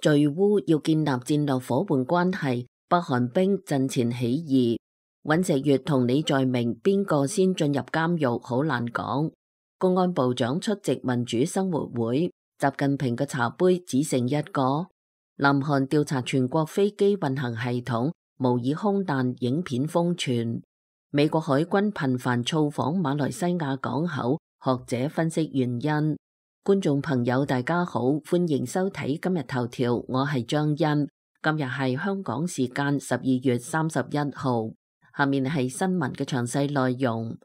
敘烏要建立戰略夥伴關係，北韓兵陣前起義。尹錫悅同李在明邊個先進入監獄好難講。公安部長出席民主生活會，習近平嘅茶杯只剩一個。南韓調查全國飛機運行系統模擬空難影片瘋傳。美國海軍頻繁造訪馬來西亞港口，學者分析原因。觀眾朋友大家好，歡迎收睇今日頭條，我係張欣。今日係香港時間12月31號，下面係新聞嘅詳細內容。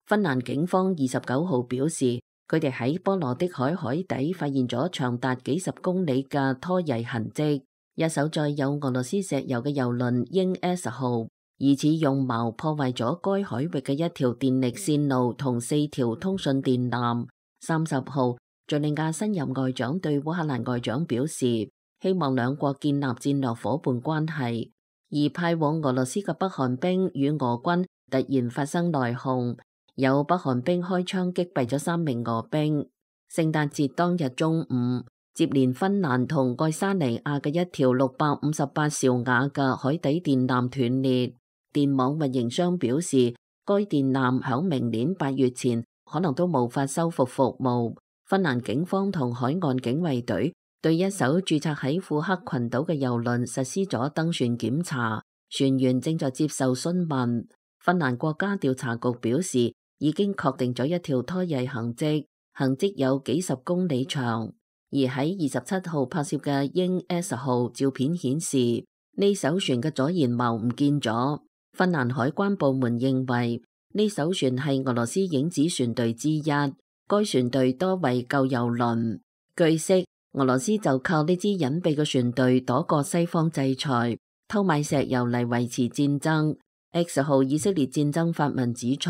芬蘭警方29號表示，佢哋喺波羅的海海底發現咗長達幾十公里嘅拖曳痕跡，一艘載有俄羅斯石油嘅油輪鷹 S 號。疑似用矛破壞咗該海域嘅一條電力線路同4條通訊電纜。30號，敘利亞新任外長對烏克蘭外長表示，希望兩國建立戰略夥伴關係。而派往俄羅斯嘅北韓兵與俄軍突然發生內訌，有北韓兵開槍擊斃咗3名俄兵。聖誕節當日中午，接連芬蘭同愛沙尼亞嘅一條658兆瓦嘅海底電纜斷裂。電網運營商表示，該電纜響明年8月前可能都無法修復服務。芬蘭警方同海岸警衛隊對一艘註冊喺庫克群島嘅油輪實施咗登船檢查，船員正在接受詢問。芬蘭國家調查局表示，已經確定咗一條拖曳痕跡，痕跡有幾十公里長。而喺27號拍攝嘅鷹 S 號照片顯示，呢艘船嘅左舷矛唔見咗。芬蘭海關部門認為呢艘船係俄羅斯影子船隊之一，該船隊多為舊油輪。據悉，俄羅斯就靠呢支隱蔽嘅船隊躲過西方制裁，偷買石油嚟維持戰爭。X 號以色列戰爭發文指出，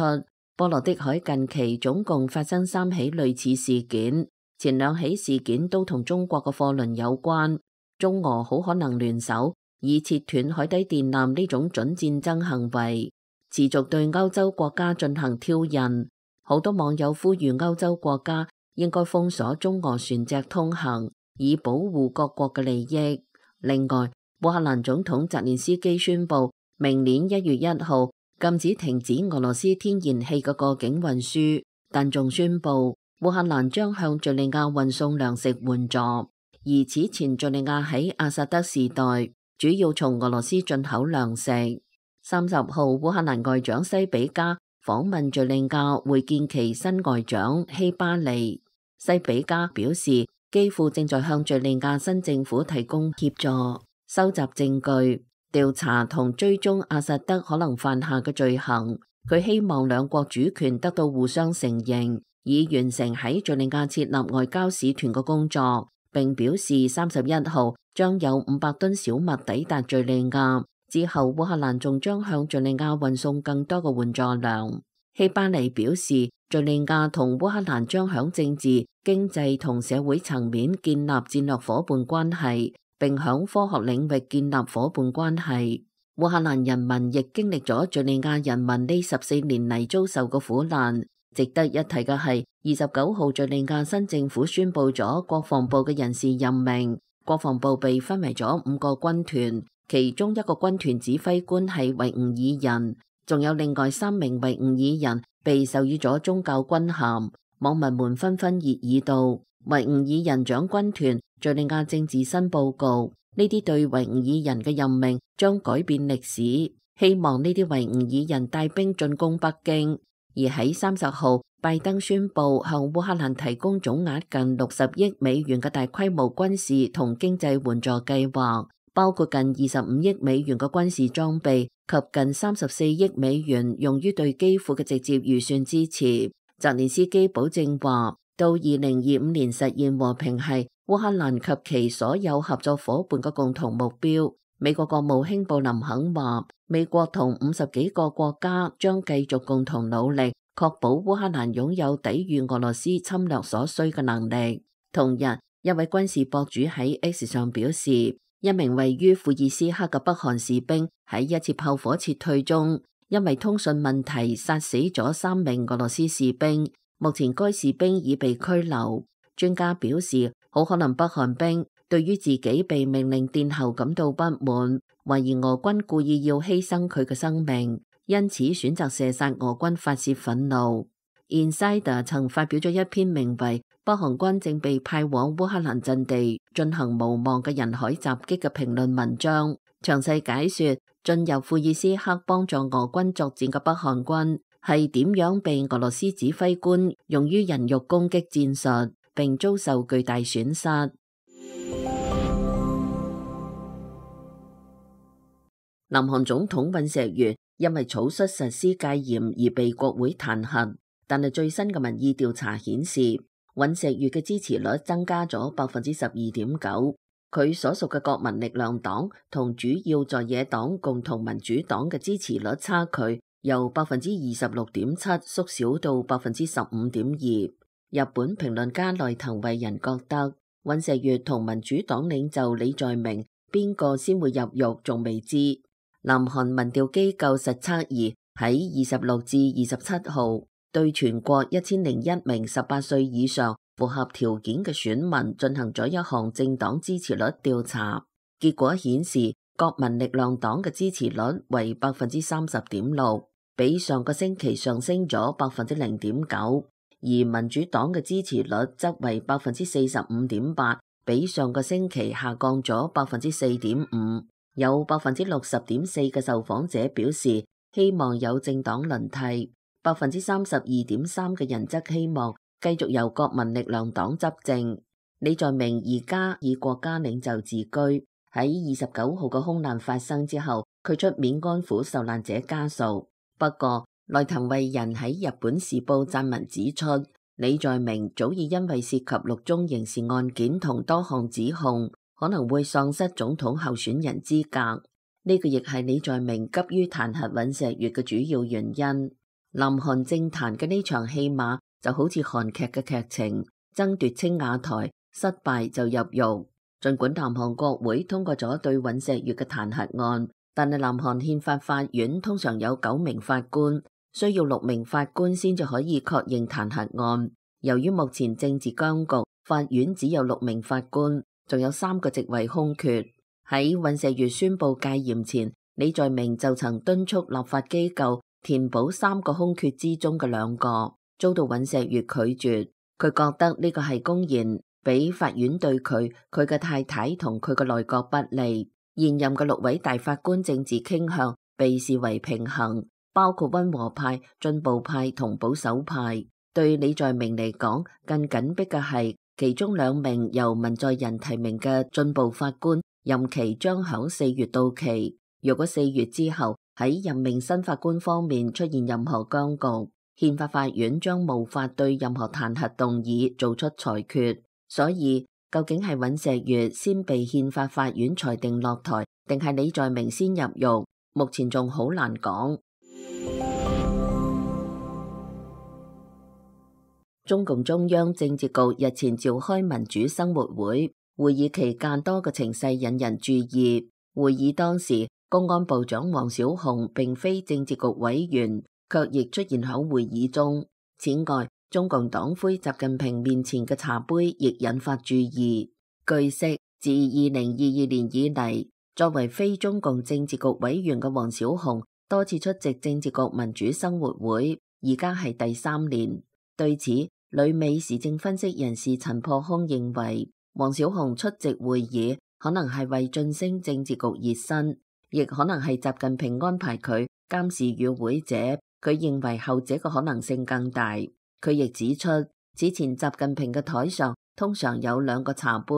波羅的海近期總共發生3起類似事件，前2起事件都同中國嘅貨輪有關，中俄好可能聯手以切斷海底電纜呢種準戰爭行為，持續對歐洲國家進行挑釁。好多網友呼籲歐洲國家應該封鎖中俄船隻通行，以保護各國嘅利益。另外，烏克蘭總統澤連斯基宣布，明年1月1號禁止停止俄羅斯天然氣嘅過境運輸，但仲宣布烏克蘭將向敘利亞運送糧食援助。而此前敘利亞喺阿薩德時代主要從俄羅斯進口糧食。30號，烏克蘭外長西比加訪問敘利亞，會見其新外長希巴里。西比加表示，基輔正在向敘利亞新政府提供協助，收集證據、調查同追蹤阿薩德可能犯下嘅罪行。佢希望兩國主權得到互相承認，以完成喺敘利亞設立外交使團嘅工作。並表示31號將有500噸小麥抵達敘利亞，之後烏克蘭仲將向敘利亞運送更多嘅援助糧。希巴里表示，敘利亞同烏克蘭將響政治、經濟同社會層面建立戰略夥伴關係，並響科學領域建立夥伴關係。烏克蘭人民亦經歷咗敘利亞人民呢14年嚟遭受嘅苦難。值得一提嘅係，29號敘利亞新政府宣布咗國防部嘅人事任命，國防部被分為咗5個軍團，其中1個軍團指揮官係維吾爾人，仲有另外3名維吾爾人被授予咗宗教軍銜。網民們紛紛熱議道，維吾爾人掌軍團，敘利亞政治新報告，呢啲對維吾爾人嘅任命將改變歷史，希望呢啲維吾爾人帶兵進攻北京。而喺30號，拜登宣布向烏克蘭提供總額近60億美元嘅大規模軍事同經濟援助計劃，包括近25億美元嘅軍事裝備及近34億美元用於對基輔嘅直接預算支持。澤連斯基保證話，到2025年實現和平係烏克蘭及其所有合作夥伴嘅共同目標。美國國務卿布林肯話，美國同50幾個國家將繼續共同努力，確保烏克蘭擁有抵禦俄羅斯侵略所需嘅能力。同日，一位軍事博主喺 X 上表示，一名位於庫爾斯克嘅北韓士兵喺一次炮火撤退中，因為通訊問題殺死咗3名俄羅斯士兵，目前該士兵已被拘留。專家表示，好可能北韓兵對於自己被命令殿後感到不滿，懷疑俄軍故意要犧牲佢嘅生命，因此選擇射殺俄軍發洩憤怒。Insider 曾發表咗一篇名為《北韓軍正被派往烏克蘭陣地進行無望嘅人海襲擊》嘅評論文章，詳細解說進入庫爾斯克幫助俄軍作戰嘅北韓軍係點樣被俄羅斯指揮官用於人肉攻擊戰術，並遭受巨大損失。南韓總統尹錫悅因為草率實施戒嚴而被國會彈劾，但係最新嘅民意調查顯示，尹錫悅嘅支持率增加咗12.9%。佢所屬嘅國民力量黨同主要在野黨共同民主黨嘅支持率差距由26.7%縮小到15.2%。日本評論家內藤惠人覺得，尹錫悅同民主黨領袖李在明邊個先會入獄仲未知。南韓民調機構實測儀喺26至27號對全國1001名18歲以上符合條件嘅選民進行咗一項政黨支持率調查，結果顯示國民力量黨嘅支持率為30.6%，比上個星期上升咗0.9%，而民主黨嘅支持率則為45.8%，比上個星期下降咗4.5%。有60.4%嘅受訪者表示希望有政黨輪替，32.3%嘅人則希望繼續由國民力量黨執政。李在明而家以國家領袖自居，喺29號嘅空難發生之後，佢出面安撫受難者家屬。不過，內藤惠人喺日本時報撰文指出，李在明早已因為涉及6宗刑事案件同多項指控，可能會喪失總統候選人資格，呢個亦係李在明急於彈劾尹錫悅嘅主要原因。南韓政壇嘅呢場戲碼就好似韓劇嘅劇情，爭奪青瓦台，失敗就入獄。儘管南韓國會通過咗對尹錫悅嘅彈劾案，但係南韓憲法法院通常有9名法官，需要6名法官先至可以確認彈劾案。由於目前政治僵局，法院只有6名法官。仲有3個職位空缺。喺尹錫悅宣布戒嚴前，李在明就曾敦促立法機構填補3個空缺之中嘅2個，遭到尹錫悅拒絕。佢覺得呢個係公然俾法院對佢嘅太太同佢嘅內閣不利。現任嘅6位大法官政治傾向被視為平衡，包括溫和派、進步派同保守派。對李在明嚟講，更緊迫嘅係其中2名由文在寅提名嘅進步法官任期將響4月到期。若果4月之後喺任命新法官方面出現任何僵局，憲法法院將無法對任何彈劾動議做出裁決。所以究竟係尹錫悅先被憲法法院裁定落台，定係李在明先入獄，目前仲好難講。中共中央政治局日前召開民主生活會，會議期間多個情勢引人注意。會議當時，公安部長王小洪並非政治局委員，卻亦出現喺會議中。此外，中共黨魁習近平面前嘅茶杯亦引發注意。據悉，自2022年以嚟，作為非中共政治局委員嘅王小洪多次出席政治局民主生活會，而家係第3年。對此，旅美時政分析人士陳破空認為，王小洪出席會議可能係為晉升政治局熱身，亦可能係習近平安排佢監視與會者。佢認為後者嘅可能性更大。佢亦指出，此前習近平嘅台上通常有2個茶杯，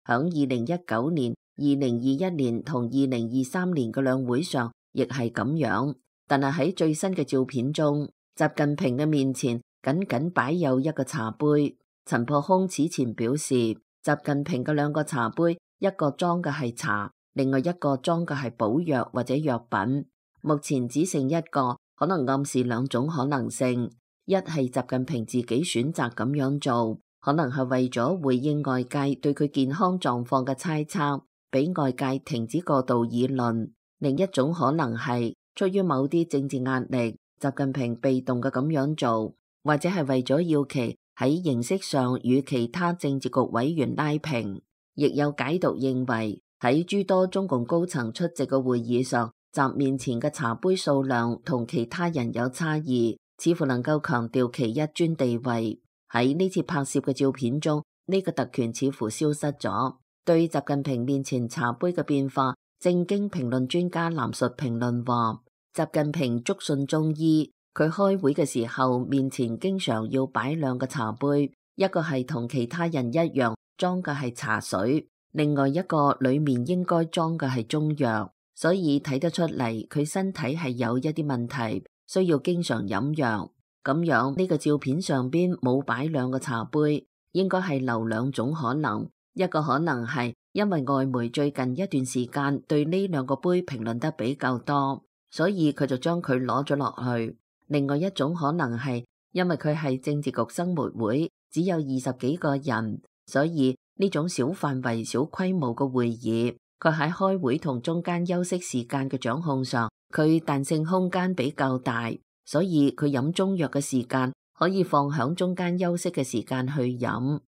響2019年、2021年同2023年嘅兩會上亦係咁樣。但係喺最新嘅照片中，習近平嘅面前僅僅擺有1個茶杯。陳破空此前表示，習近平嘅2個茶杯，一個裝嘅係茶，另外一個裝嘅係補藥或者藥品。目前只剩1個，可能暗示2種可能性：一係習近平自己選擇咁樣做，可能係為咗回應外界對佢健康狀況嘅猜測，俾外界停止過度議論；另一種可能係出於某啲政治壓力，習近平被動嘅咁樣做。或者係為咗要其喺形式上與其他政治局委員拉平。亦有解讀認為，喺諸多中共高層出席嘅會議上，習面前嘅茶杯數量同其他人有差異，似乎能夠強調其一尊地位。喺呢次拍攝嘅照片中，呢個特權似乎消失咗。對習近平面前茶杯嘅變化，正經評論專家藍述評論話，習近平篤信中醫，佢開會嘅時候面前經常要擺兩個茶杯，一個係同其他人一樣裝嘅係茶水，另外一個裏面應該裝嘅係中藥，所以睇得出嚟佢身體係有一啲問題，需要經常飲藥。咁樣呢個照片上邊冇擺兩個茶杯，應該係留兩種可能，一個可能係因為外媒最近一段時間對呢兩個杯評論得比較多，所以佢就將佢攞咗落去。另外一種可能係因為佢係政治局生活會，只有20幾個人，所以呢種小範圍小規模嘅會議，佢喺開會同中間休息時間嘅掌控上，佢彈性空間比較大，所以佢飲中藥嘅時間可以放響中間休息嘅時間去飲。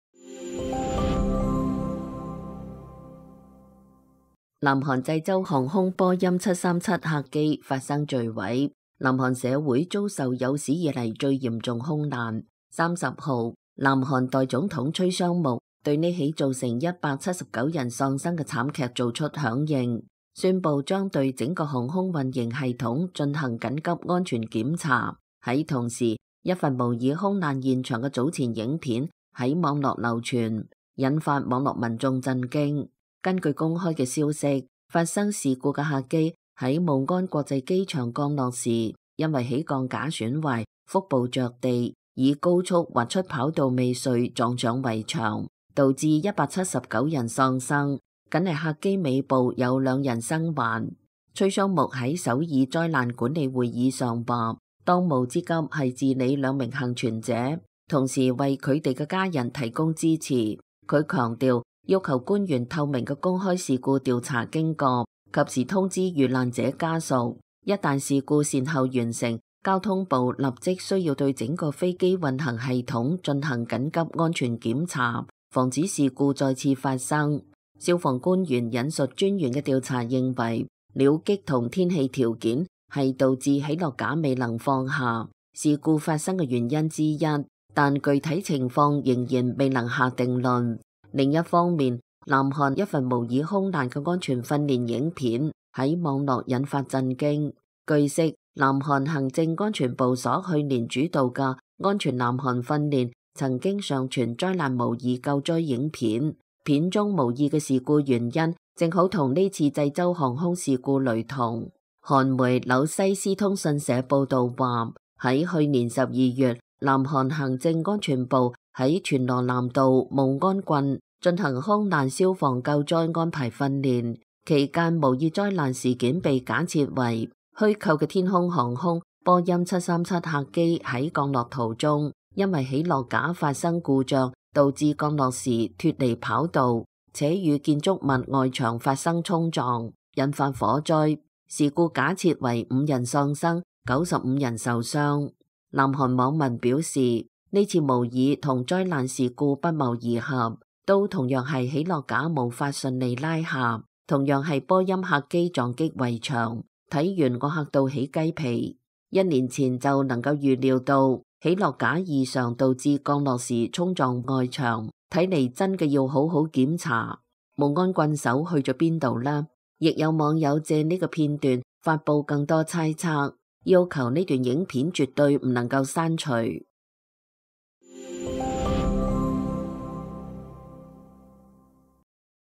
南韓濟州航空波音737客機發生墜毀，南韓社會遭受有史以嚟最嚴重空難。30號，南韓代總統崔尚木對呢起造成179人喪生嘅慘劇做出響應，宣布將對整個航空運營系統進行緊急安全檢查。喺同時，一份模擬空難現場嘅早前影片喺網絡流傳，引發網絡民眾震驚。根據公開嘅消息，發生事故嘅客機喺慕安國際機場降落時，因為起降架損壞，腹部着地，以高速滑出跑道未遂，撞上圍牆，導致179人喪生。僅係客機尾部有2人生還。崔尚木喺首爾災難管理會議上話，當務之急係治理2名幸存者，同時為佢哋嘅家人提供支持。佢強調，要求官員透明嘅公開事故調查經過，及時通知遇難者家屬。一旦事故善後完成，交通部立即需要對整個飛機運行系統進行緊急安全檢查，防止事故再次發生。消防官員引述專員嘅調查認為，鳥擊同天氣條件係導致起落架未能放下事故發生嘅原因之一，但具體情況仍然未能下定論。另一方面，南韓一份模擬空難嘅安全訓練影片喺網絡引發震驚。據悉，南韓行政安全部所去年主導嘅安全南韓訓練曾經上傳災難模擬救災影片，片中模擬嘅事故原因正好同呢次濟州航空事故雷同。韓媒紐西斯通訊社報道話，喺去年12月，南韓行政安全部喺全羅南道慕安郡進行空難消防救災安排訓練，期間模擬災難事件被假設為虛構嘅天空航空波音737客機喺降落途中，因為起落架發生故障，導致降落時脫離跑道，且與建築物外牆發生衝撞，引發火災。事故假設為5人喪生，95人受傷。南韓網民表示，呢次模擬同災難事故不謀而合，都同樣係起落架無法順利拉下，同樣係波音客機撞擊圍牆。睇完我嚇到起雞皮，1年前就能夠預料到起落架異常導致降落時衝撞外牆，睇嚟真嘅要好好檢查。慕安郡守去咗邊度呢？亦有網友借呢個片段發佈更多猜測，要求呢段影片絕對唔能夠刪除。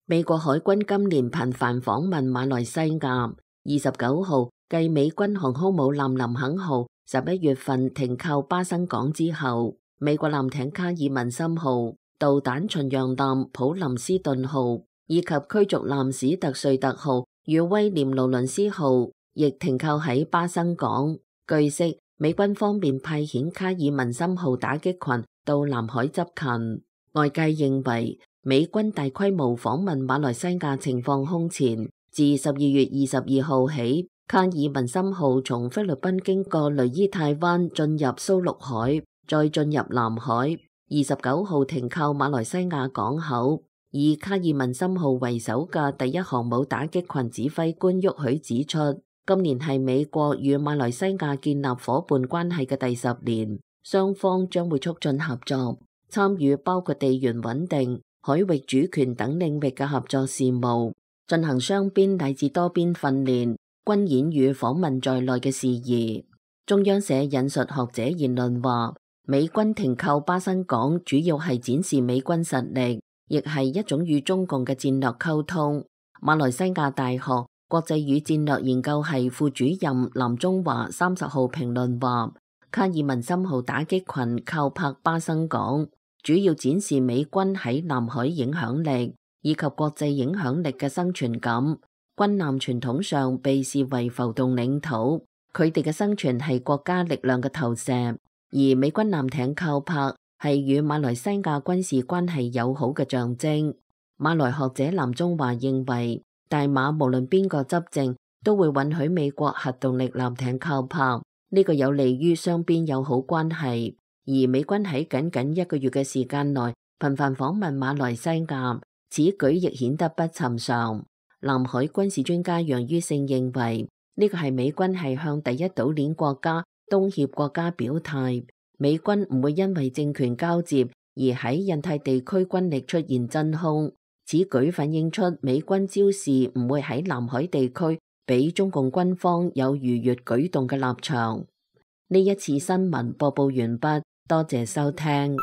美國海軍今年頻繁訪問馬來西亞。29號，繼美軍航空母艦林肯號11月份停靠巴生港之後，美國艦艇卡爾文森號、導彈巡洋艦普林斯頓號以及驅逐艦史特瑞特號與威廉勞倫斯號亦停靠喺巴生港。據悉，美軍方面派遣卡爾文森號打擊群到南海執勤。外界認為，美軍大規模訪問馬來西亞情況空前。自12月22號起，卡爾文森號從菲律賓經過雷伊泰灣進入蘇祿海，再進入南海。29號停靠馬來西亞港口。以卡爾文森號為首嘅第一航母打擊群指揮官沃許指出，今年係美國與馬來西亞建立伙伴關係嘅第10年，雙方將會促進合作，參與包括地緣穩定、海域主權等領域嘅合作事務，進行雙邊乃至多邊訓練、軍演與訪問在內嘅事宜。中央社引述學者言論話，美軍停靠巴生港主要係展示美軍實力，亦係一種與中共嘅戰略溝通。馬來西亞大學國際與戰略研究系副主任藍中華30號評論話，卡爾文森號打擊群靠泊巴生港，主要展示美軍喺南海影響力以及國際影響力嘅生存感。軍艦傳統上被視為浮動領土，佢哋嘅生存係國家力量嘅投射，而美軍艦艇靠泊係與馬來西亞軍事關係友好嘅象徵。馬來學者藍中華認為，大馬無論邊個執政，都會允許美國核動力艦艇靠泊，呢個有利於雙邊友好關係。而美軍喺僅僅1個月嘅時間內頻繁訪問馬來西亞，此舉亦顯得不尋常。南海軍事專家楊于勝認為，呢個係美軍係向第一島鏈國家東協國家表態，美軍唔會因為政權交接而喺印太地區軍力出現真空。此舉反映出美軍招示唔會喺南海地區俾中共軍方有逾越舉動嘅立場。呢一次新聞播報完畢，多謝收聽。